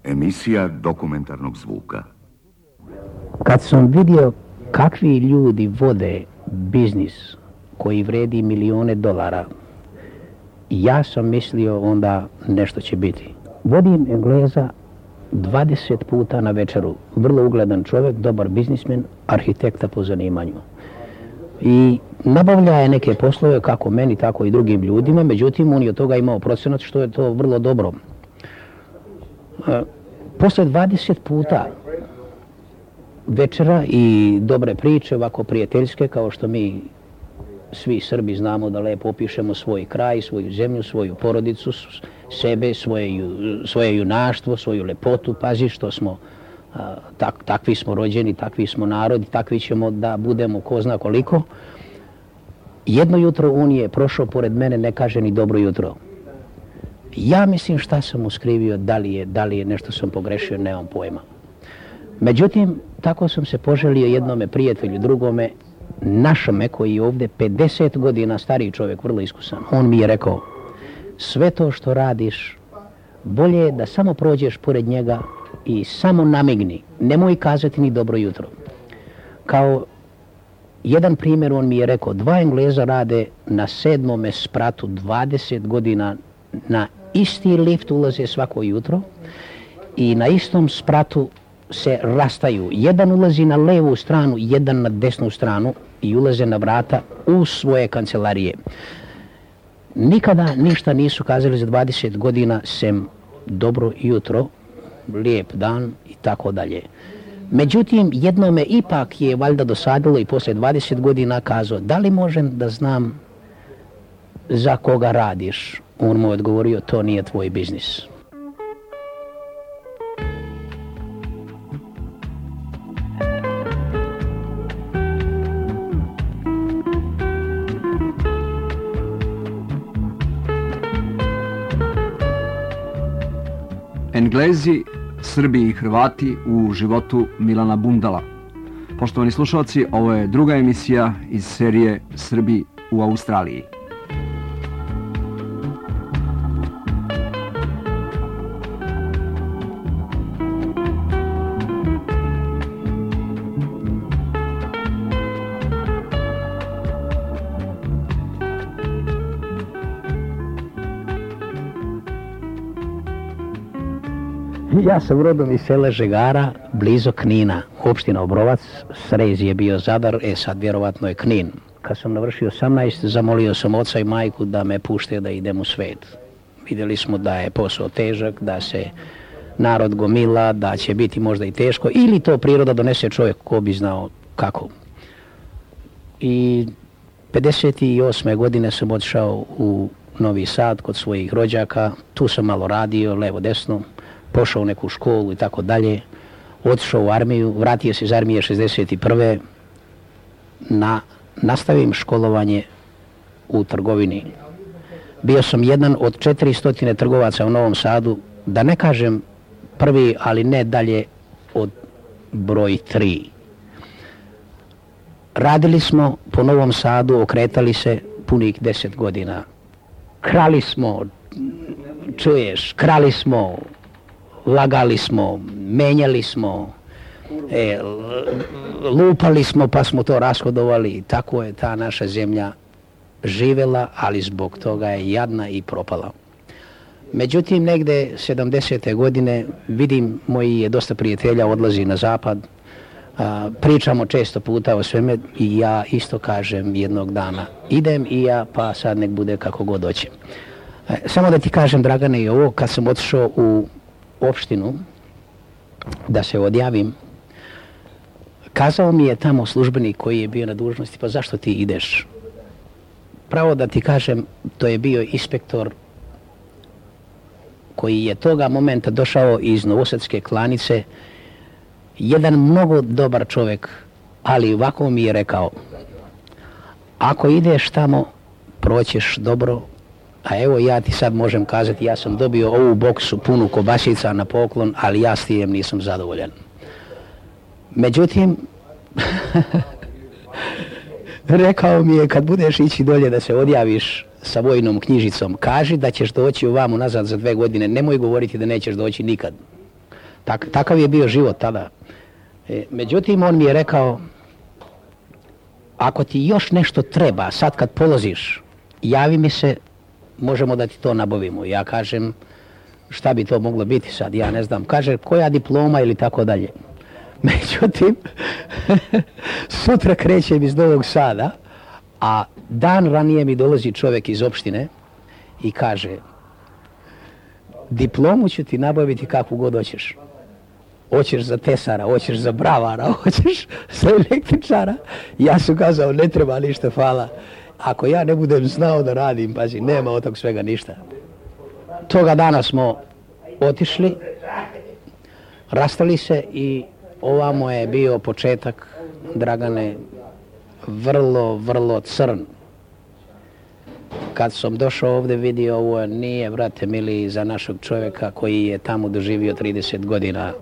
Emisija dokumentarnog zvuka. Kad sam vidio kakvi ljudi vode biznis koji vredi milijone dolara, ja sam mislio onda nešto će biti. Vodim Engleza 20 puta na večeru. Vrlo ugledan čovjek, dobar biznismen, arhitekta po zanimanju. I nabavlja je neke poslove kako meni, tako i drugim ljudima, međutim on je od toga imao procenat što je to vrlo dobro. Posle 20 puta večera i dobre priče, ovako prijateljske, kao što mi svi Srbi znamo da lepo opišemo svoj kraj, svoju zemlju, svoju porodicu, sebe, svoje junaštvo, svoju lepotu, pazi što smo, takvi smo rođeni, takvi smo narodi, takvi ćemo da budemo ko zna koliko. Jedno jutro on je prošao pored mene, ne kaže ni dobro jutro. Ja mislim šta sam mu skrivio, da li je nešto sam pogrešio, nemam pojma. Međutim, tako sam se poželio jednome prijatelju, drugome, našome koji je ovdje 50 godina stariji čovjek, vrlo iskusan. On mi je rekao, sve to što radiš, bolje je da samo prođeš pored njega i samo namigni, nemoj kazati ni dobro jutro. Kao jedan primjer on mi je rekao, 2 Engleza rade na 7. spratu 20 godina, na isti lift ulaze svako jutro i na istom spratu se rastaju. Jedan ulazi na levu stranu, jedan na desnu stranu i ulaze na vrata u svoje kancelarije. Nikada ništa nisu kazali za 20 godina sem dobro jutro, lijep dan i tako dalje. Međutim, jednome ipak je valjda dosadilo i poslije 20 godina kazao, da li možem da znam za koga radiš? On mu je odgovorio, to nije tvoj biznis. Englezi, Srbi i Hrvati u životu Milana Bundala. Poštovani slušalci, ovo je druga emisija iz serije Srbi u Australiji. Ja sam rodom iz sela Žegara, blizu Knina, opština Obrovac, srez je bio Zadar, sad vjerovatno je Knin. Kad sam navršio 18, zamolio sam oca i majku da me pušte da idem u svet. Vidjeli smo da je posao težak, da se narod gomila, da će biti možda i teško, ili to priroda donese čovjek, ko bi znao kako. I 58. godine sam otišao u Novi Sad kod svojih rođaka, tu sam malo radio, levo desno, pošao u neku školu i tako dalje, otišao u armiju, vratio se iz armije 61. Nastavim školovanje u trgovini. Bio sam jedan od 400 trgovaca u Novom Sadu, da ne kažem prvi, ali ne dalje od broj 3. Radili smo po Novom Sadu, okretali se punih 10 godina. Krali smo, čuješ, krali smo, lagali smo, menjali smo, lupali smo pa smo to rashodovali. Tako je ta naša zemlja živjela, ali zbog toga je jadna i propala. Međutim, negde 70. godine vidim moji je dosta prijatelja odlazi na zapad, pričamo često puta o sveme i ja isto kažem jednog dana idem i ja, pa sad nek bude kako god hoće. Samo da ti kažem, Dragane, i ovo, kad sam otišao u opštinu da se odjavim, kazao mi je tamo službenik koji je bio na dužnosti, pa zašto ti ideš? Pravo da ti kažem, to je bio inspektor koji je toga momenta došao iz Novosadske Klanice, jedan mnogo dobar čovjek, ali ovako mi je rekao, ako ideš tamo, proćeš dobro, a evo ja ti sad možem kazati, ja sam dobio ovu boksu punu kobasica na poklon, ali ja s tijem nisam zadovoljan. Međutim, rekao mi je, kad budeš ići dolje da se odjaviš sa vojnom knjižicom, kaži da ćeš doći ovamo nazad za 2 godine, nemoj govoriti da nećeš doći nikad. Takav je bio život tada. Međutim, on mi je rekao, ako ti još nešto treba, sad kad polaziš, javi mi se, možemo da ti to nabavimo. Ja kažem, šta bi to moglo biti sad, ja ne znam. Kaže, koja diploma ili tako dalje. Međutim, sutra krećem iz Novog Sada, a dan ranije mi dolazi čovjek iz opštine i kaže, diplomu ću ti nabaviti kakvu god hoćeš. Hoćeš za tesara, hoćeš za bravara, hoćeš za električara. Ja sam kazao, ne treba ništa, hvala. Ako ja ne budem znao da radim, pazi, nema od tog svega ništa. Toga dana smo otišli, rastali se i ovamo je bio početak, Dragane, vrlo crn. Kad sam došao ovdje vidio, ovo nije, brate mili, za našeg čovjeka koji je tamo doživio 30 godina.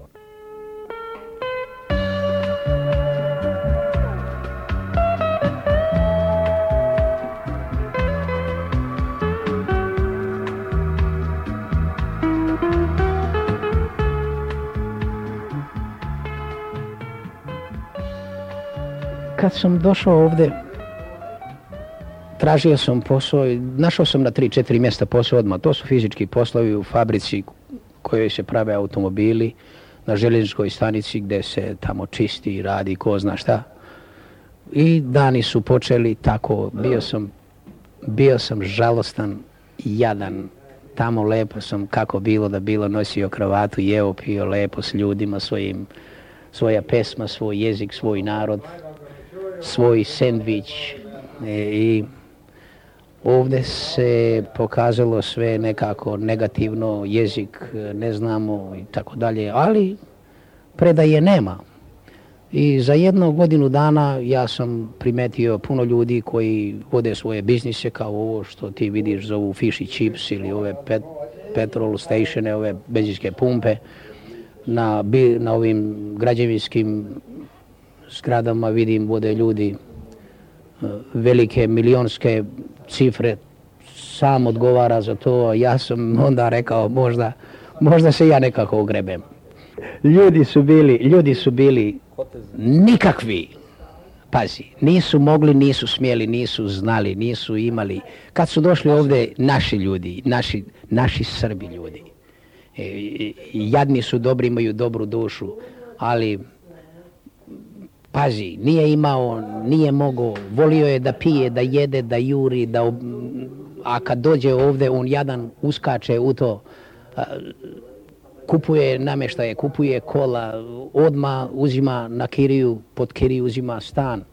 Kad sam došao ovdje, tražio sam posao i našao sam na 3-4 mjesta posao odmah. To su fizički poslovi u fabrici kojoj se prave automobili, na željezničkoj stanici gdje se tamo čisti i radi ko zna šta. I dani su počeli tako, bio sam žalostan i jadan. Tamo lepo sam, kako bilo da bilo, nosio kravatu, jeo, pio lepo s ljudima svojim, svoja pesma, svoj jezik, svoj narod, svoj sendvič. I ovdje se pokazalo sve nekako negativno, jezik ne znamo i tako dalje, ali predaje nema. I za 1 godinu dana ja sam primetio puno ljudi koji vode svoje biznise kao ovo što ti vidiš zovu fish and chips ili ove petrol statione, ove benzinske pumpe. Na ovim građevinskim zgradama vidim vode ljudi velike milionske cifre, sam odgovara za to. Ja sam onda rekao možda se ja nekako ogrebem. Ljudi su bili nikakvi. Pazi, nisu mogli, nisu smjeli, nisu znali, nisu imali. Kad su došli ovdje naši ljudi, naši Srbi ljudi, jadni su dobri, imaju dobru dušu, ali pazi, nije imao, nije mogao, volio je da pije, da jede, da juri, a kad dođe ovdje on jadan uskače u to, kupuje namještaje, kupuje kola, odmah uzima na kiriju, pod kiriju uzima stan.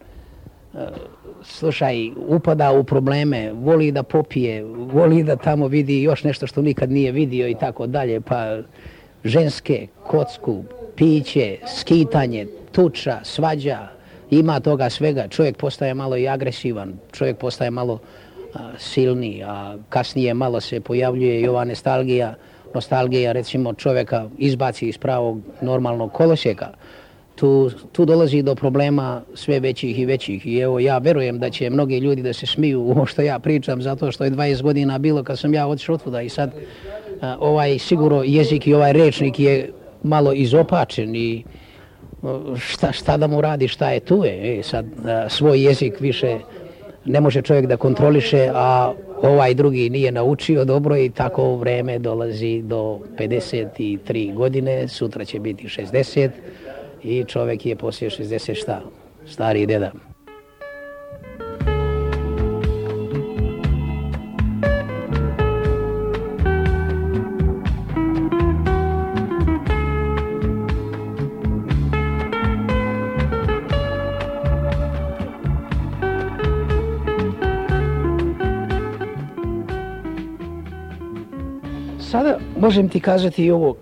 Slušaj, upada u probleme, voli da popije, voli da tamo vidi još nešto što nikad nije vidio i tako dalje, pa ženske, kocku, piće, skitanje, tuča, svađa, ima toga svega. Čovjek postaje malo i agresivan, čovjek postaje malo silniji, a kasnije malo se pojavljuje i ova nostalgija recimo čovjeka izbaci iz pravog normalnog kolosijeka. Tu dolazi do problema sve većih i većih i evo ja verujem da će mnogi ljudi da se smiju u ovo što ja pričam zato što je 20 godina bilo kad sam ja otišao otvuda i sad ovaj sigurno jezik i ovaj rečnik je malo izopačen i šta da mu radi, šta je tu je. Sad svoj jezik više ne može čovjek da kontroliše, a ovaj drugi nije naučio dobro i tako vreme dolazi do 53 godine, sutra će biti 60 i čovjek je poslije 60 šta? Stari deda. Sada možem ti kazati i ovo,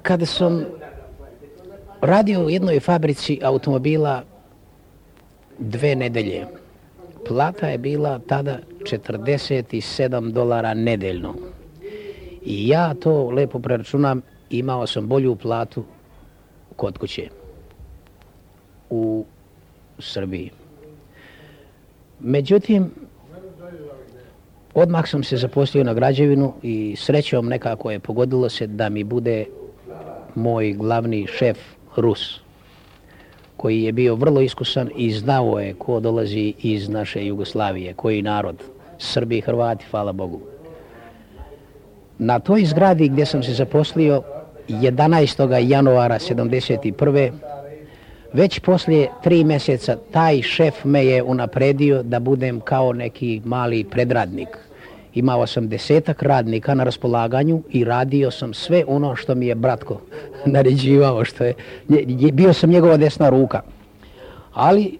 kada sam radio u jednoj fabrici automobila 2 nedelje, plata je bila tada $47 nedeljno. I ja to lepo preračunam, imao sam bolju platu kod kuće u Srbiji. Međutim, odmah sam se zaposlio na građevinu i srećom nekako je pogodilo se da mi bude moj glavni šef Rus, koji je bio vrlo iskusan i znao je ko dolazi iz naše Jugoslavije, koji narod, Srbi i Hrvati, hvala Bogu. Na toj zgradi gdje sam se zaposlio 11. januara 1971. već poslije 3 mjeseca taj šef me je unapredio da budem kao neki mali predradnik. Imao sam 10-ak radnika na raspolaganju i radio sam sve ono što mi je bratko naređivao, bio sam njegova desna ruka. Ali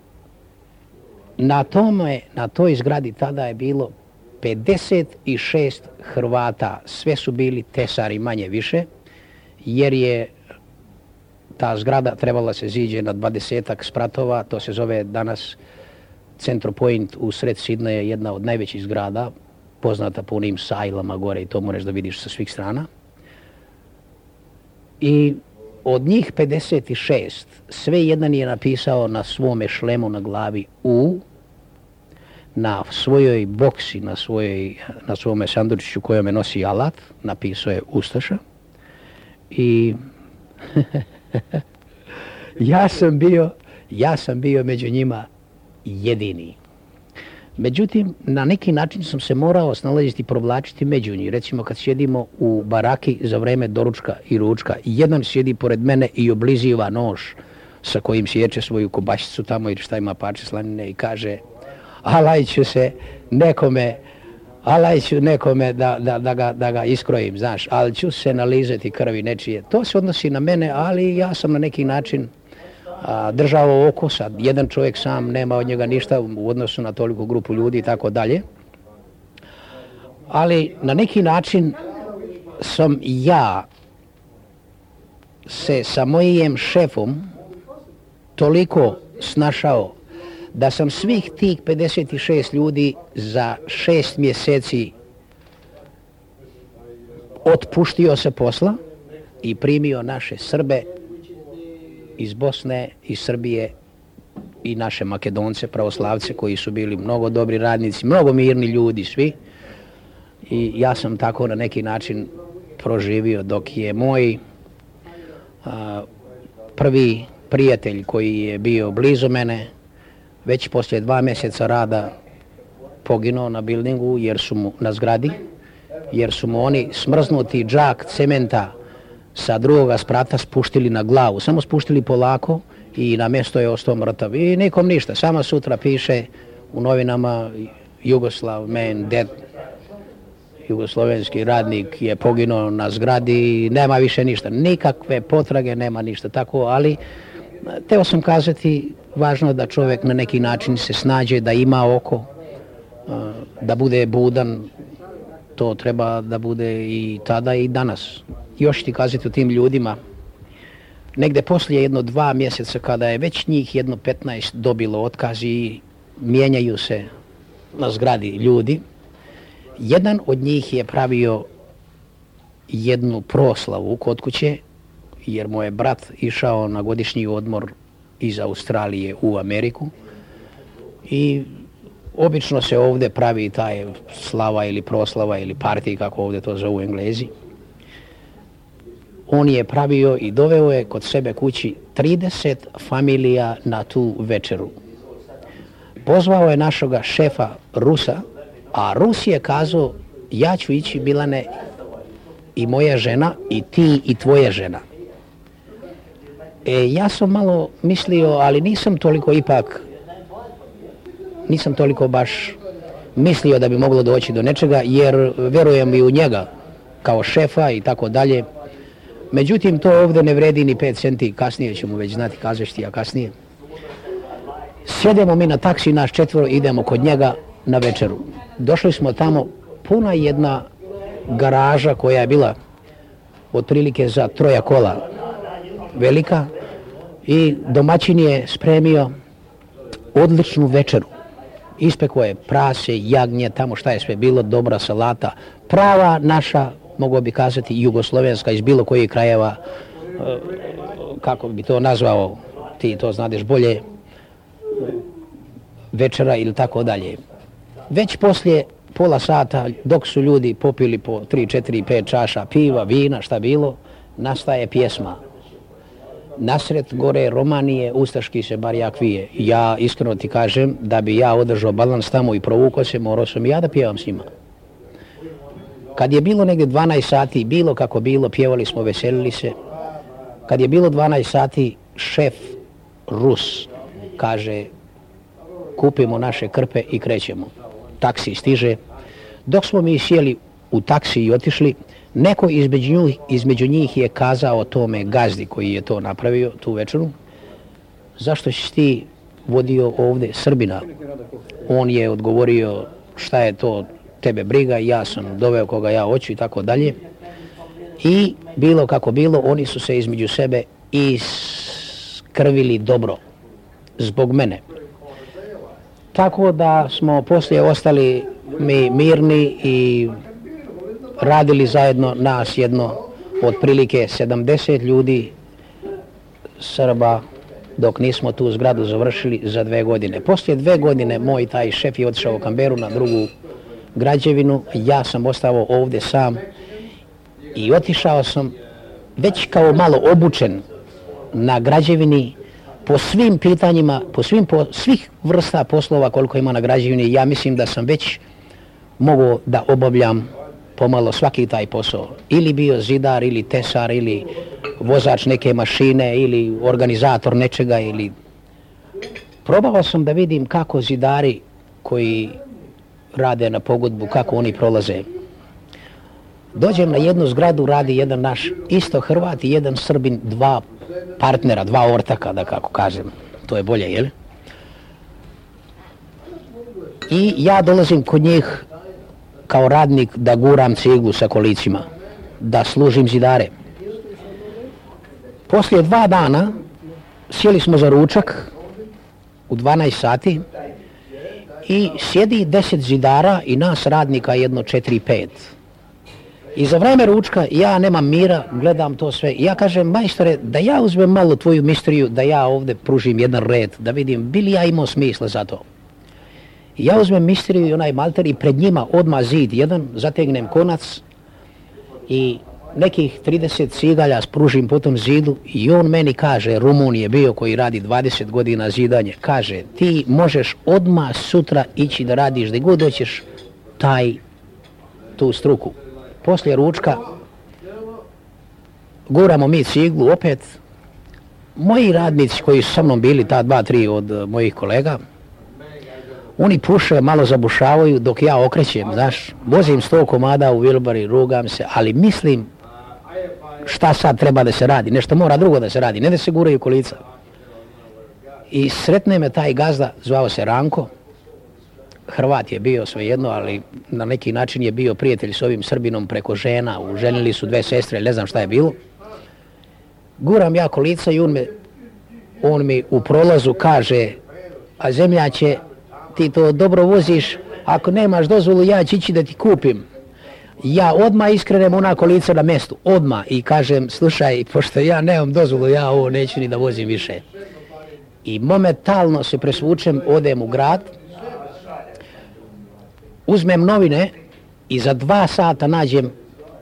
na toj zgradi tada je bilo 56 Hrvata, sve su bili tesari manje više, jer je ta zgrada trebala se ziđe na 20-ak spratova, to se zove danas Central Point u sred Sidneja, jedna od najvećih zgrada, poznata po onim sajlama gore i to moraš da vidiš sa svih strana. I od njih 56, sve jedan je napisao na svome šlemu na glavi U, na svojoj boksi, na svome sandučiću kojome nosi alat, napisao je Ustaša. I ja sam bio među njima jedini. Međutim, na neki način sam se morao snalaziti i provlačiti među njih. Recimo, kad sjedimo u baraki za vreme doručka i ručka, jedan sjedi pored mene i obliziva nož sa kojim sječe svoju kobašicu tamo ili šta ima parče slanine i kaže alajću nekome da ga iskrojim, znaš, ali ću se nalizati krvi nečije. To se odnosi na mene, ali ja sam na neki način držao oko, sad jedan čovjek sam, nema od njega ništa u odnosu na toliko grupu ljudi i tako dalje. Ali na neki način sam ja se sa mojim šefom toliko snašao da sam svih tih 56 ljudi za 6 mjeseci otpuštio se posla i primio naše Srbe iz Bosne, iz Srbije i naše Makedonce, pravoslavce koji su bili mnogo dobri radnici, mnogo mirni ljudi svi. I ja sam tako na neki način proživio dok je moj prvi prijatelj koji je bio blizu mene već poslije 2 mjeseca rada poginuo na buildingu na zgradi, jer su mu oni smrznuti džak cementa sa drugoga sprata spuštili na glavu, samo spuštili polako i na mjesto je ostao mrtav. I nikom ništa, samo sutra piše u novinama Jugoslav man dead, jugoslovenski radnik je poginuo na zgradi, nema više ništa, nikakve potrage, nema ništa tako, ali teo sam kazati, važno je da čovjek na neki način se snađe, da ima oko, da bude budan, to treba da bude i tada i danas. Još ti kazati o tim ljudima, negde poslije 2 mjeseca kada je već njih 15 dobilo otkaz i mijenjaju se na zgradi ljudi, jedan od njih je pravio jednu proslavu kod kuće, jer mu je brat išao na godišnji odmor iz Australije u Ameriku i obično se ovdje pravi taj slava ili proslava ili partij, kako ovdje to zovu Englezi. On je pravio i doveo je kod sebe kući 30 familija na tu večeru. Pozvao je našega šefa Rusa, a Rus je kazao, ja ću ići, Milane, i moja žena, i ti i tvoja žena. Ja sam malo mislio, ali nisam toliko baš mislio da bi moglo doći do nečega, jer verujem i u njega kao šefa i tako dalje. Međutim, to ovdje ne vredi ni 5 centi, kasnije ćemo već znati, kažeš ti, a kasnije. Sjedemo mi na taksi, naš 4, idemo kod njega na večeru. Došli smo tamo, puna jedna garaža koja je bila otprilike za 3 kola velika i domaćin je spremio odličnu večeru. Ispekao je prase, jagnje, tamo šta je sve bilo, dobra salata, prava naša, mogu bi kazati, jugoslovenska iz bilo kojih krajeva, kako bi to nazvao, ti to znadeš bolje, večera ili tako dalje. Već poslije pola sata dok su ljudi popili po 3, 4, 5 čaša piva, vina, šta bilo, nastaje pjesma. Nasred gore Romanije, ustaški se barjak vije. Ja iskreno ti kažem da bi ja održao balans tamo i provukao se, morao sam i ja da pjevam s njima. Kad je bilo negdje 12 sati, bilo kako bilo, pjevali smo, veselili se. Kad je bilo 12 sati, šef Rus kaže kupimo naše krpe i krećemo. Taksi stiže. Dok smo mi sjeli u taksi i otišli, neko između njih je kazao tome gazdi koji je to napravio tu večeru, zašto si ti vodio ovdje Srbina? On je odgovorio šta je to tebe briga, ja sam doveo koga ja hoću i tako dalje. I bilo kako bilo, oni su se između sebe iskrvili dobro zbog mene. Tako da smo poslije ostali mi mirni i radili zajedno nas jedno otprilike 70 ljudi Srba dok nismo tu zgradu završili za 2 godine. Poslije 2 godine moj taj šef je otišao u Canberru na drugu građevinu, ja sam ostao ovdje sam i otišao sam već kao malo obučen na građevini po svim pitanjima, svih vrsta poslova koliko ima na građevini. Ja mislim da sam već mogao da obavljam pomalo svaki taj posao. Ili bio zidar, ili tesar, ili vozač neke mašine, ili organizator nečega, ili... Probao sam da vidim kako zidari koji rade na pogodbu, kako oni prolaze. Dođem na jednu zgradu, radi jedan naš isto Hrvat i jedan Srbin, 2 partnera, 2 ortaka, da kako kažem. To je bolje, jel? I ja dolazim kod njih kao radnik da guram ciglu sa kolicima, da služim zidare. Poslije 2 dana sjeli smo za ručak u 12 sati i sjedi 10 zidara i nas radnika jedno 4-5. I za vreme ručka ja nemam mira, gledam to sve. I ja kažem, majstore, da ja uzmem malo tvoju misteriju, da ja ovdje pružim jedan red, da vidim bi li ja imao smisla za to. I ja uzmem misteriju i onaj malter i pred njima odmah zid jedan, zategnem konac i nekih 30 cigalja spružim po tom zidu i on meni kaže, Rumun je bio koji radi 20 godina zidanje, kaže, ti možeš odmah sutra ići da radiš gdje god hoćeš tu struku. Poslije ručka guramo mi ciglu opet. Moji radnici koji su sa mnom bili, ta 2-3 od mojih kolega, oni puše, malo zabušavaju dok ja okrećem, znaš, vozim 100 komada u Wilbari, rugam se, ali mislim šta sad treba da se radi, nešto mora drugo da se radi, ne da se guraju kolica. I sretne me taj gazda, zvao se Ranko, Hrvat je bio svejedno, ali na neki način je bio prijatelj s ovim Srbinom preko žena, uženili su 2 sestre, ne znam šta je bilo. Guram ja kolica i on mi u prolazu kaže, a zemljače, ti to dobro voziš, ako nemaš dozvolu ja ću ići da ti kupim. Ja odmah iskrenem ona kolica na mjestu, odmah, i kažem, slušaj, pošto ja nemam dozvolu, ja ovo neću ni da vozim više. I momentalno se presvučem, odem u grad, uzmem novine i za 2 sata nađem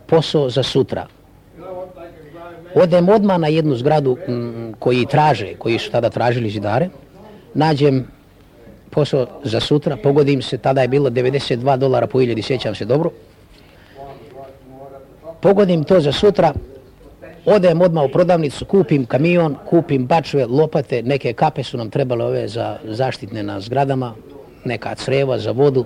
posao za sutra. Odem odmah na jednu zgradu koji su tada tražili zidare, nađem posao za sutra, pogodim se, tada je bilo $92 po 1000, sjećam se dobro. Pogodim to za sutra, odem odmah u prodavnicu, kupim kamion, kupim bačve, lopate, neke kape su nam trebale ove za zaštitne na zgradama, neka creva za vodu.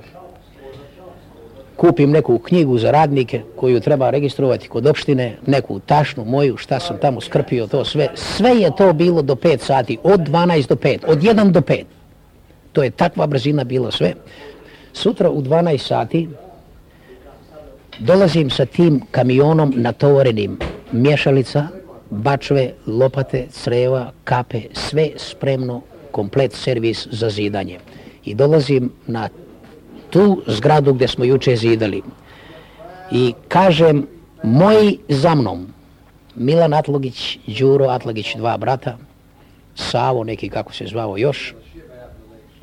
Kupim neku knjigu za radnike koju treba registrovati kod opštine, neku tašnu moju, šta sam tamo skrpio, to sve. Sve je to bilo do 5 sati, od 12 do 5, od 1 do 5. To je takva brzina bilo sve. Sutra u 12 sati dolazim sa tim kamionom natovarenim, mješalica, bačve, lopate, creva, kape, sve spremno, komplet servis za zidanje. I dolazim na tu zgradu gdje smo juče zidali. I kažem, moji za mnom, Milan Atlagić, Đuro Atlagić, 2 brata, Savo neki kako se zvao još,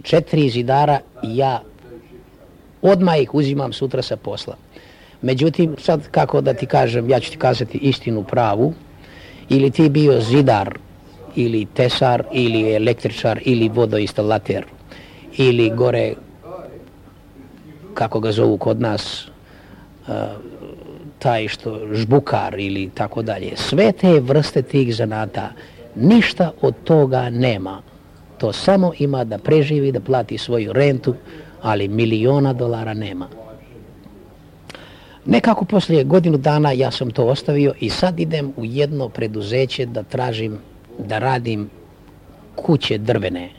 4 zidara i ja odmah ih uzimam sutra sa posla. Međutim, sad kako da ti kažem, ja ću ti kazati istinu pravu, ili ti bio zidar, ili tesar, ili električar, ili vodoinstalater, ili gore, kako ga zovu kod nas, taj što žbukar ili tako dalje. Sve te vrste tih zanata, ništa od toga nema. To samo ima da preživi, da plati svoju rentu, ali $1.000.000 nema. Nekako poslije godinu dana ja sam to ostavio i sad idem u jedno preduzeće da tražim da radim kuće drvene,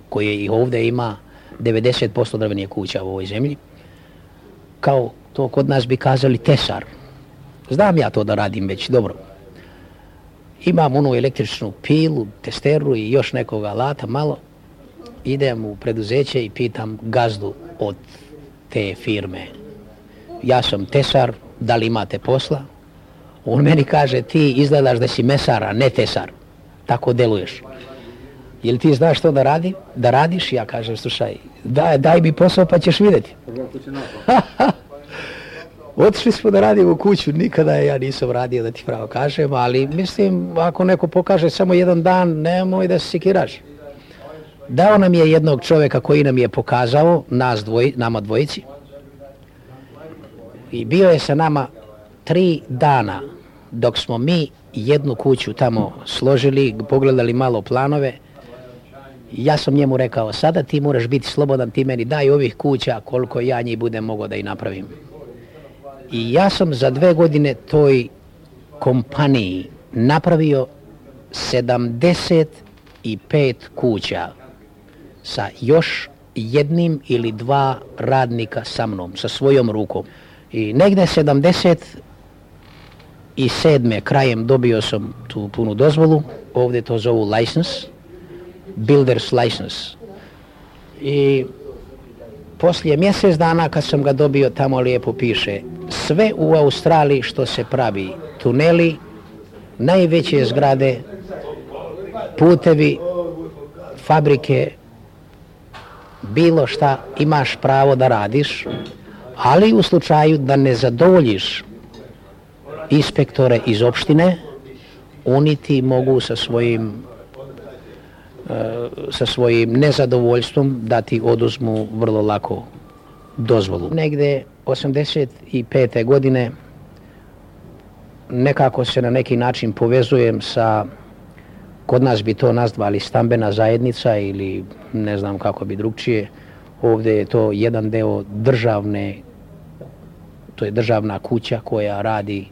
koje i ovdje ima 90% drvenih kuća u ovoj zemlji. Kao to kod nas bi kazali tesar. Znam ja to da radim već dobro. Imam onu električnu pilu, testeru i još nekog alata malo. Idem u preduzeće i pitam gazdu od te firme. Ja sam tesar, da li imate posla? On meni kaže, ti izgledaš da si mesar, a ne tesar. Tako deluješ. Jel ti znaš što da radiš? Ja kažem, slušaj, daj mi posao pa ćeš vidjeti. Otišli smo da radimo kuću, nikada ja nisam radio, da ti pravo kažem, ali mislim, ako neko pokaže samo jedan dan, nemoj da se sekiraš. Dao nam je jednog čovjeka koji nam je pokazao, nama dvojici, i bio je sa nama 3 dana dok smo mi jednu kuću tamo složili, pogledali malo planove. Ja sam njemu rekao, sada ti moraš biti slobodan, ti meni daj ovih kuća koliko ja njih budem mogao da ih napravim. I ja sam za 2 godine toj kompaniji napravio 75 kuća sa još jednim ili 2 radnika sa mnom, sa svojom rukom. I negde 77. krajem dobio sam tu punu dozvolu, ovdje to zovu license, builder's license. I poslije mjesec dana kad sam ga dobio, tamo lijepo piše, sve u Australiji što se pravi, tuneli, najveće zgrade, putevi, fabrike, bilo šta imaš pravo da radiš, ali u slučaju da ne zadovoljiš inspektore iz opštine, oni ti mogu sa svojim nezadovoljstvom da ti oduzmu vrlo lako dozvolu. Negde 85. godine nekako se na neki način povezujem sa, kod nas bi to nazvali stambena zajednica ili ne znam kako bi drugčije. Ovdje je to jedan deo državne, to je državna kuća koja radi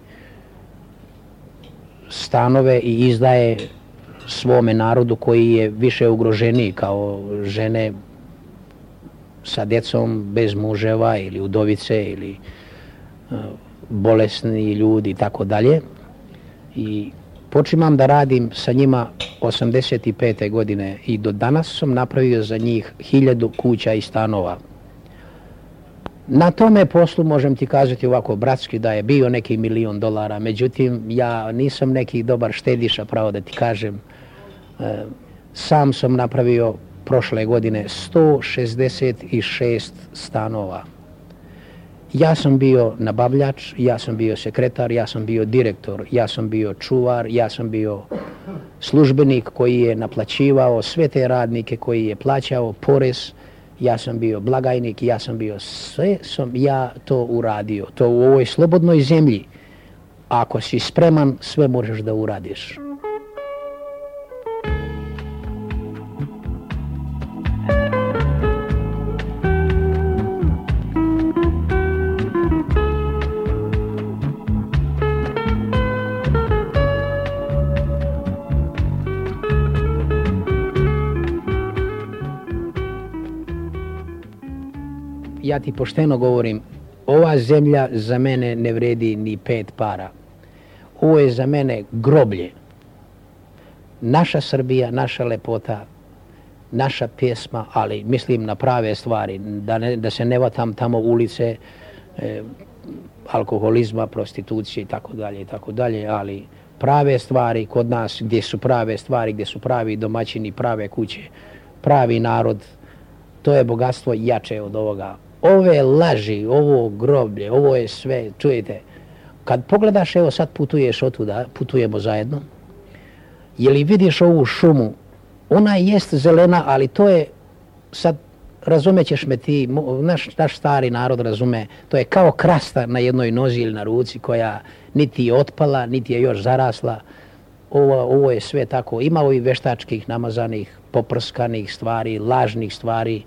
stanove i izdaje svome narodu koji je više ugroženiji, kao žene sa djecom bez muževa ili udovice ili bolesni ljudi i tako dalje. I počimam da radim sa njima 85. godine i do danas sam napravio za njih 1000 kuća i stanova. Na tome poslu možem ti kazati ovako bratski da je bio neki $1.000.000, međutim ja nisam neki dobar štediša, pravo da ti kažem. Sam sam napravio prošle godine 166 stanova. Ja sam bio nabavljač, ja sam bio sekretar, ja sam bio direktor, ja sam bio čuvar, ja sam bio službenik koji je naplaćivao sve te radnike, koji je plaćao porez, ja sam bio blagajnik, ja sam bio, sve sam ja to uradio. To u ovoj slobodnoj zemlji, ako si spreman, sve možeš da uradiš. Ja ti pošteno govorim, ova zemlja za mene ne vredi ni 5 para. Ovo je za mene groblje. Naša Srbija, naša lepota, naša pjesma, ali mislim na prave stvari, da se ne vatam tamo ulice, alkoholizma, prostitucije i tako dalje, ali prave stvari kod nas, gdje su prave stvari, gdje su pravi domaćini, prave kuće, pravi narod, to je bogatstvo jače od ovoga. ove laži, ovo groblje, ovo je sve, čujete, kad pogledaš, evo sad putuješ otuda, putujemo zajedno, je li vidiš ovu šumu, ona jest zelena, ali to je, sad razumećeš me ti, naš stari narod razume, to je kao krasta na jednoj nozi ili na ruci koja niti je otpala, niti je još zarasla. Ovo je sve tako, ima ovih veštačkih, namazanih, poprskanih stvari, lažnih stvari.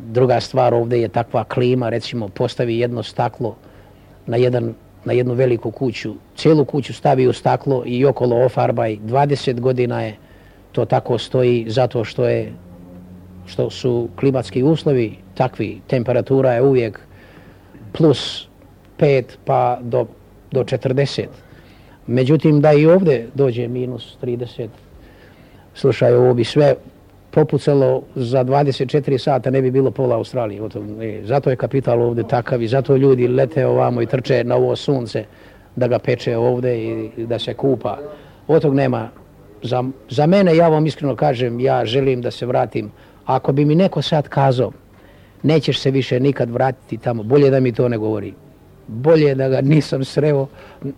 Druga stvar, ovdje je takva klima, recimo postavi jedno staklo na jednu veliku kuću, cijelu kuću stavi u staklo i okolo ofarbaj, 20 godina je to tako stoji zato što su klimatski uslovi takvi, temperatura je uvijek plus 5 pa do 40. Međutim, da i ovdje dođe minus 30, slušaj, ovo bi sve popucalo za 24 sata, ne bi bilo pola Australije. Zato je kapital ovdje takav i zato ljudi lete ovamo i trče na ovo sunce da ga peče ovdje i da se kupa. Od tog nema. Za mene, ja vam iskreno kažem, ja želim da se vratim. Ako bi mi neko sad kazao, nećeš se više nikad vratiti tamo, bolje da mi to ne govori. Bolje da ga nisam sreo,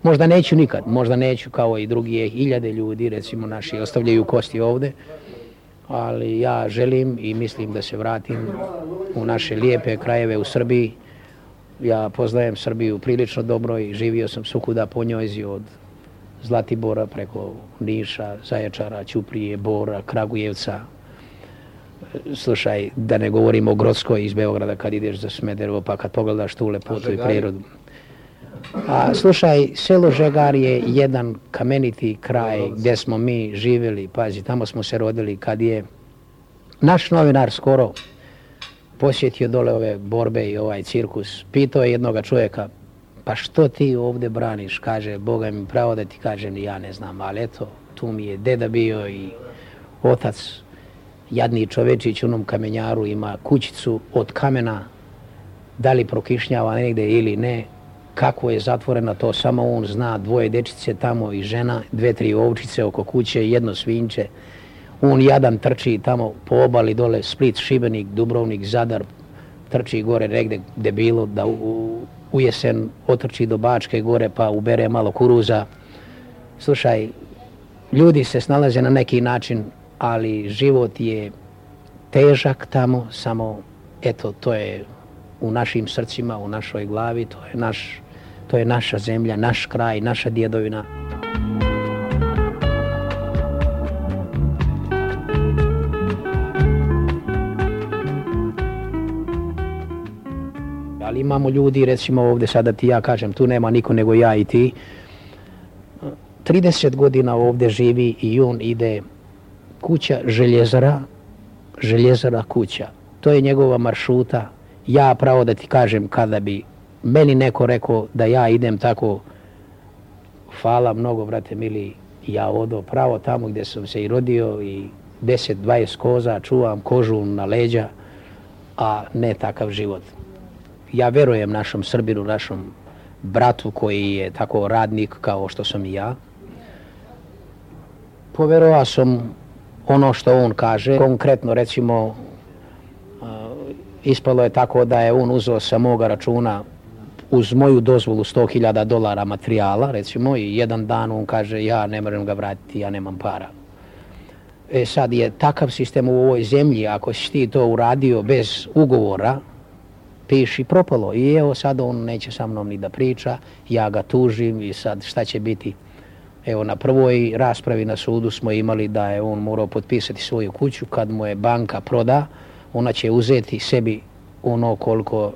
možda neću nikad, možda neću kao i drugi hiljade ljudi, recimo naši, ostavljaju kosti ovdje, ali ja želim i mislim da se vratim u naše lijepe krajeve u Srbiji. Ja poznajem Srbiju prilično dobro i živio sam svukuda po njoj, od Zlatibora preko Niša, Zaječara, Ćuprije, Bora, Kragujevca. Slušaj, da ne govorimo o Grockoj iz Beograda kad ideš za Smederevo, pa kad pogledaš tu lepotu i prirodu. A slušaj, selo Žegar je jedan kameniti kraj gdje smo mi živjeli, pazi, tamo smo se rodili. Kad je naš novinar skoro posjetio dole ove borbe i ovaj cirkus, pitao je jednoga čovjeka, pa što ti ovdje braniš? Kaže, Boga mi pravo da ti kažem, ja ne znam, ali eto, tu mi je deda bio i otac. Jadni čovečić u onom kamenjaru ima kućicu od kamena, da li prokišnjava negdje ili ne, kako je zatvorena, to samo on zna, 2 dečice tamo i žena, 2-3 ovčice oko kuće, 1 svinče. On jadan trči tamo po obali dole, Split, Šibenik, Dubrovnik, Zadar, trči gore negdje gdje bilo, da u jesen otrči do Bačke gore pa ubere malo kuruza. Slušaj, ljudi se snalaze na neki način, ali život je težak tamo, samo eto, to je u našim srcima, u našoj glavi, to je naša zemlja, naš kraj, naša djedovina. Ali imamo ljudi, recimo ovdje sada ti ja kažem, tu nema niko nego ja i ti. 30 godina ovdje živi i on ide kuća željezara kuća. To je njegova maršruta. Ja pravo da ti kažem, kada bi meni neko rekao da ja idem tako, hvala mnogo, brate mili, ja odo pravo tamo gdje sam se i rodio i 10-20 koza, čuvam kožu na leđa, a ne takav život. Ja verujem našom Srbinu, našom bratu koji je tako radnik kao što sam i ja. Poverovao sam ono što on kaže. Konkretno, recimo, ispalo je tako da je on uzeo sa moga računa uz moju dozvolu $100,000 materijala, recimo, i jedan dan on kaže, ja ne moram ga vratiti, ja nemam para. Sad je takav sistem u ovoj zemlji, ako si ti to uradio bez ugovora, piši propalo. I evo sad on neće sa mnom ni da priča, ja ga tužim i sad šta će biti? Evo, na prvoj raspravi na sudu smo imali da je on morao potpisati svoju kuću, kad mu je banka proda, ona će uzeti sebi ono koliko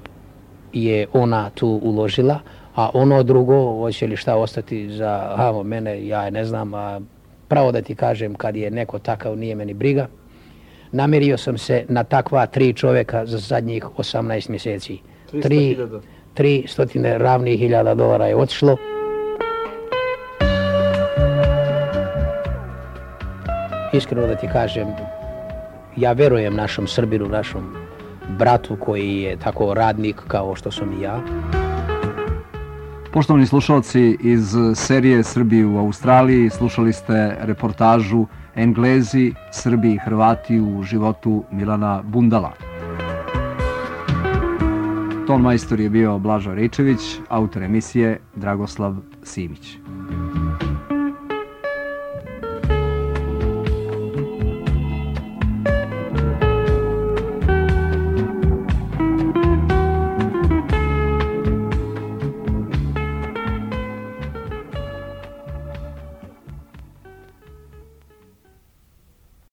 je ona tu uložila, a ono drugo, hoće li šta ostati za mene, ja ne znam, a pravo da ti kažem, kad je neko takav, nije meni briga. Namerio sam se na takva 3 čovjeka za zadnjih 18 mjeseci. 300 ravnih hiljada dolara je otišlo. Iskreno da ti kažem, ja verujem našom Srbinu, našom bratu koji je tako radnik kao što sam i ja. Poštovani slušalci, iz serije Srbi u Australiji slušali ste reportažu Englezi, Srbi i Hrvati u životu Milana Bundala. Ton majstor je bio Blažo Ričević, autor emisije Dragoslav Simić.